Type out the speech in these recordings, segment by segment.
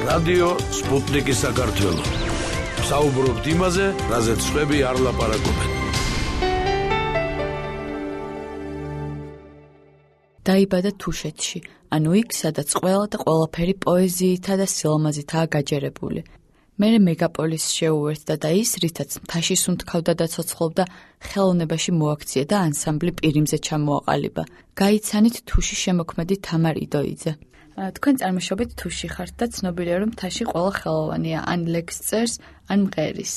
რადიო სპუტნიკი საქართველო. საუბრობთ იმაზე, რაზეც სხვები არ ლაპარაკობენ. დაიბადა თუშეთში, ანუ იქ, სადაც ყველა და ყველაფერი პოეზიითა და სილამაზითაა გაჯერებული. მერე მეგაპოლისს შეუერთდა და ის, რითაც მთაში სუნთქავდა და ცოცხლობდა, ხელოვნებაში მოაქცია და ანსამბლი პირიმზე ჩამოაყალიბა. გაიცანით თუში შემოქმედი თამარ იდოიძე. თქვენ წარმოშობით თუში ხართ და ცნობილია, რომ მთაში ყველა ხელოვანია, ან ლექს წერს, ან მღერის.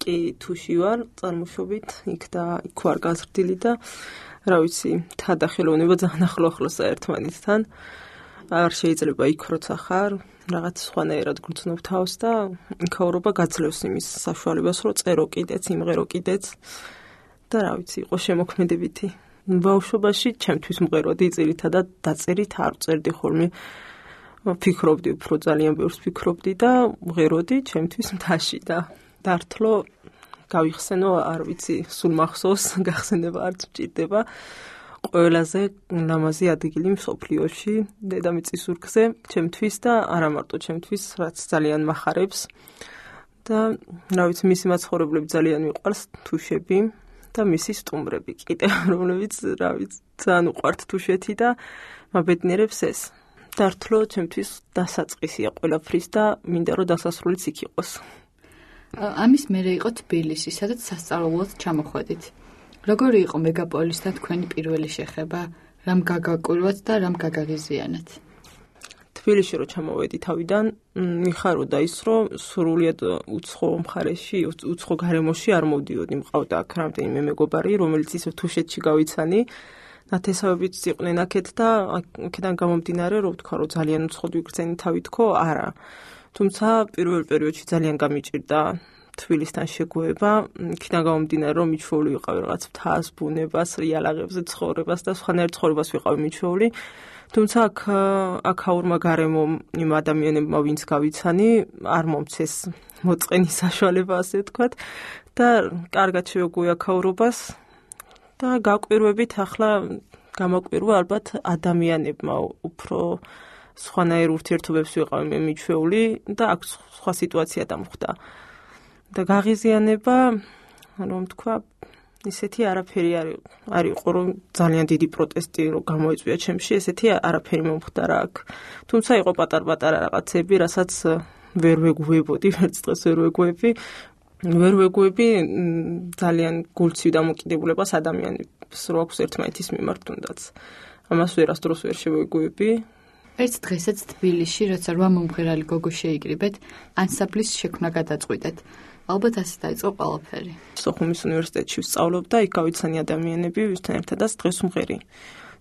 კი, თუში ვარ, წარმოშობით იქ და იქ ვარ გაზრდილი და რა ვიცი, მთა და ხელოვნება ძალიან ახლო-ახლოსა ერთმანეთთან. არ შეიძლება იქ როცა ხარ, რაღაც სხვანაირად გრძნობ თავს და იქაურობა გაძლევს იმის საშუალებას, რომ წერო კიდეც, იმღერო კიდეც და რა ვიცი, იყო შემოქმედებითი. ბავშვობაში ჩემთვის მღეროდი ძირითადად დაწერით არ წერდი ხოლმე. ფიქრობდი, უფრო ძალიან ბევრს ფიქრობდი და მღეროდი ჩემთვის მთაში და დართლო გავიხსენო, არ ვიცი, სულ მახსოვს, გახსენება არც მჭირდება. ყველაზე ლამაზი ადგილი მსოფლიოში, დედამიწის ურგზე, ჩემთვის და არა მარტო ჩემთვის, რაც ძალიან მახარებს. და რა ვიცი, მისი მაცხოვრებლები ძალიან მიყვარს, თუშები და მისი სტუმრები კიდე, რომლებიც რა ვიცი, ძალიან უყვართ თუშეთი და მაბედნიერებს ეს. დართლო ჩემთვის დასაწყისია ყველაფრის და მინდა რომ დასასრულიც იქ იყოს. ამის მერე იყო თბილისი, სადაც სასწავლებლად ჩამოხვედით. როგორი იყო მეგაპოლისთან თქვენი პირველი შეხება, რამ გაგაკვირვათ და რამ გაგაღიზიანათ? თბილისში რო ჩამოვედი თავიდან, მიხაროდა ის, რომ სრულიად უცხო მხარეში, უცხო გარემოში არ მოვდიოდი, მყავდა აქ რამდენიმე მეგობარი, რომელიც ისე თუშეთში გავიცანი, ნათესავებიც იყვნენ აქეთ და აქედან გამომდინარე, რომ ვთქვა, რომ ძალიან უცხოდ ვიგრძენი თავი თქო, არა. თუმცა პირველ პერიოდში ძალიან გამიჭირდა თბილისთან შეგვეება, იქიდან გამომდინარე, რომ მიჩვეული ვიყავი რაღაც მთას, ბუნებას, იალაღებზე ცხოვრებას და სხვანაირ ცხოვრებას ვიყავი მიჩვეული. თუმცა აქაურმა გარემომ იმ ადამიანებმა, ვინც გავიცანი, არ მომცეს მოწყენის საშუალება, ასე ვთქვათ, და კარგად შევეგვი აქაურობას და გაკვირვებით ახლა გამაკვირვა ალბათ ადამიანებმა უფრო სხვანაირ ურთიერთობებს ვიყავი მე მიჩვეული და აქ სხვა სიტუაცია დამხვდა. და გაღიზიანება, რომ თქვა, ისეთი არაფერი არ იყო, რომ ძალიან დიდი პროტესტი რომ გამოიწვია ჩემში, ესეთი არაფერი მომხდარა აქ. თუმცა იყო პატარ-პატარა რაღაცები, რასაც ვერ ვეგუებოდი, ვერც დღეს ვერ ვეგუები ძალიან გულცივ დამოკიდებულებას ადამიანებს რო აქვს ერთმანეთის მიმართ თუნდაც. ამას ვერასდროს ვერ შევეგუები. ერთ დღესაც თბილისში, როცა 8 მომღერალი გოგო შეიკრიბეთ, ანსამბლის შექმნა გადაწყვიტეთ. ალბათ ასე დაიწყო ყველაფერი. სოხუმის უნივერსიტეტში ვსწავლობ და იქ გავიცანი ადამიანები, ვისთან ერთადაც დღეს ვმღერი.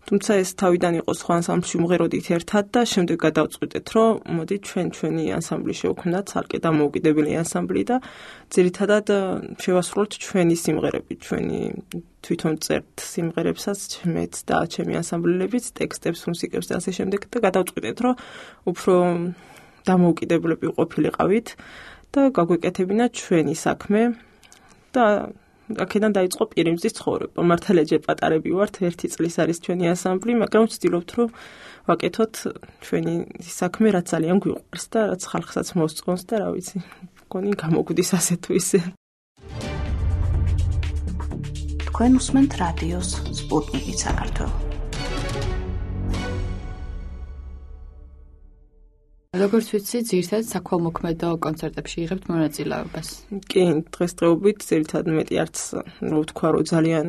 თუმცა ეს თავიდან იყო სხვა ანსამბლში ვმღეროდით ერთად და შემდეგ გადავწყვიტეთ, რომ მოდი ჩვენი ანსამბლი შევქმნათ, ცალკე დამოუკიდებელი ანსამბლი და ძირითადად შევასრულოთ ჩვენი სიმღერები, ჩვენი თვითონ წერთ სიმღერებსაც, მეც და ჩემი ანსამბლელებიც, ტექსტებს, მუსიკებს და ასე შემდეგ და გადავწყვიტეთ, რომ უფრო დამოუკიდებლები ყოფილიყავით და გაგვეკეთებინა ჩვენი საქმე და აქედან დაიწყო პირიმზის ცხოვრება. მართალია პატარები ვართ, 1 წლის არის ჩვენი ანსამბლი, მაგრამ ვცდილობთ, რომ ვაკეთოთ ჩვენი საქმე, რაც ძალიან გვიყვარს და რაც ხალხსაც მოსწონს და რა ვიცი, მგონი გამოგვდის ასე თუ ისე. თქვენ უსმენთ რადიოს სპუტნიკი საქართველო. როგორც ვიცი, ძირითადად საქველმოქმედო კონცერტებში იღებთ მონაწილეობას. კი, დღესდღეობით ძირითადად მეტი არც ვთქვა, რომ ძალიან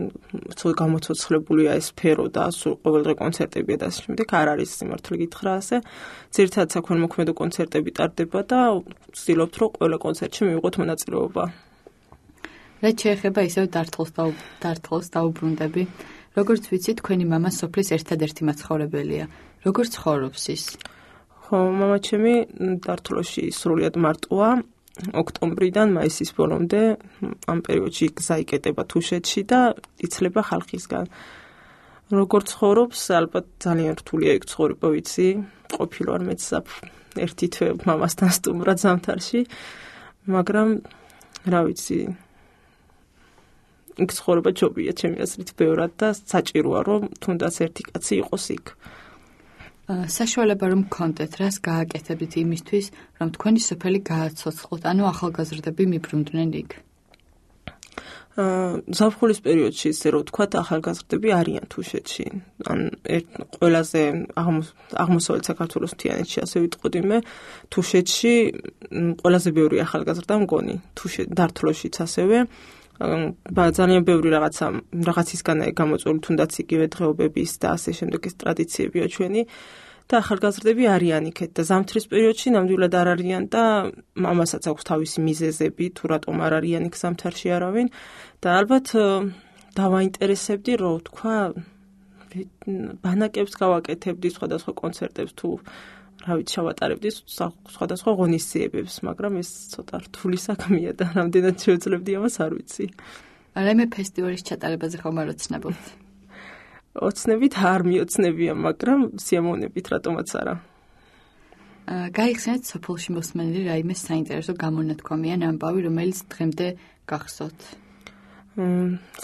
გამოცოცხლებულია ეს სფერო და სულ ყოველდღე კონცერტებია და ასე შემდეგ, არ არის სიმართლე გითხრა ასე. ძირითადად საქველმოქმედო კონცერტები ტარდება და ვცდილობთ, რომ ყველა კონცერტში მივიღოთ მონაწილეობა. რაც შეეხება ისევ დართლს დაუბრუნდები. როგორც ვიცი, თქვენი მამა სოფლის ერთადერთი მაცხოვრებელია. როგორ ცხოვრობს ის? მამა ჩემი დართლოში სრულიად მარტოა, ოქტომბრიდან მაისის ბოლომდე, ამ პერიოდში გზა იკეტება თუშეთში და იცლება ხალხისგან. როგორ ცხოვრობს, ალბათ ძალიან რთულია იქ ცხოვრება, ვიცი, ყოფილვარ მეც ერთი თვე მამასთან სტუმრად ზამთარში, მაგრამ რა ვიცი, იქ ცხოვრება ჯობია ჩემი აზრით ბევრად და საჭიროა, რომ თუნდაც ერთი კაცი იყოს იქ. საშუალება რომ გქონდეთ, რას გააკეთებდით იმისთვის, რომ თქვენი სოფელი გააცოცხლოთ, ანუ ახალგაზრდები მიბრუნდნენ იქ? ზაფხულის პერიოდში ისე რომ ვთქვათ, ახალგაზრდები არიან თუშეთში. ან ყველაზე აღმოსავლეთ საქართველოს მთიანეთში, ასე ვიტყოდი მე, თუშეთში ყველაზე ბევრი ახალგაზრდა მგონი, დართლოშიც ასევე. ძალიან ბევრი რაღაცისგანაა გამოწვეული, თუნდაც იგივე დღეობების და ასე შემდეგის ტრადიციებია ჩვენი. და ახალგაზრდები არიან იქეთ და ზამთრის პერიოდში ნამდვილად არ არიან და ამასაც აქვს თავისი მიზეზები, თუ რატომ არ არიან იქ ზამთარში არავინ და ალბათ დავაინტერესებდი, რომ თქვა ბანაკებს გავაკეთებდი, სხვადასხვა კონცერტებს თუ რა ვიცი შევატარებდი სხვადასხვა ღონისძიებებს, მაგრამ ეს ცოტა რთული საქმეა და რამდენად შევძლებდი ამას არ ვიცი. რაიმე ფესტივალის ჩატარებაზე ხომ არ ოცნებობთ? ოცნებით არ მიოცნებია, მაგრამ სიამოვნებით რატომაც არა. გაიხსენეთ სოფელში მოსმენილი რაიმე საინტერესო გამონათქვამი ან ამბავი, რომელიც დღემდე გახსოვთ?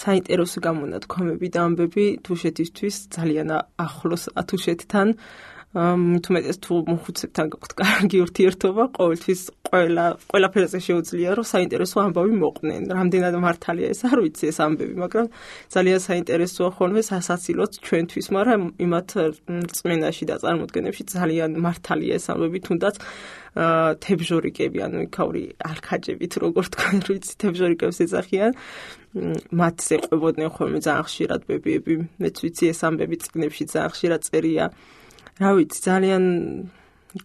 საინტერესო გამონათქვამები და ამბები თუშეთისთვის ძალიან ახლოს თუშეთთან. თუმეტეს თუ მოხუცებთან გაქვთ კარგი ურთიერთობა, ყოველთვის ყველაფერზე შეუძლია რომ საინტერესო ამბავი მოყვნენ. რამდენად მართალია ეს არ ვიცი ეს ამბები, მაგრამ ძალიან საინტერესოა ხოლმე სასაცილოც ჩვენთვის, მაგრამ იმათ რწმენაში და წარმოდგენებში ძალიან მართალია ეს ამბები, თუნდაც თებჟორიკები, ანუ იქაური არქაჯებით, როგორ თქვა, ვიცი, თებჟორიკებს ეძახიან. მათზე ყვებოდნენ ხოლმე ძალიან ხშირად ბებიები. მეც ვიცი ეს ამბები წიგნებში ძალიან ხშირად წერია. რა ვიცი, ძალიან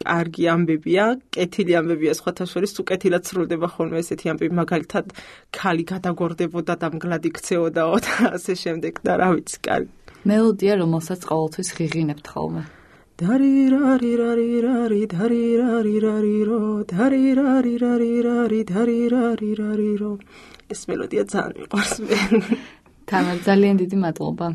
კარგი ამბებია, კეთილი ამბებია სხვათა შორის, თუ კეთილად სრულდება ხოლმე ესეთი ამბები, მაგალითად, ქალი გადაგორდებოდა და მგლად იქცეოდაო და ასე შემდეგ და რა ვიცი, კარგი. მელოდია, რომელსაც ყოველთვის ღიღინებთ ხოლმე. დარირარირარირარი, დარირარირარირო, დარირარირარირარი, ეს მელოდია ძალიან მიყვარს მე. თამარ, ძალიან დიდი მადლობა.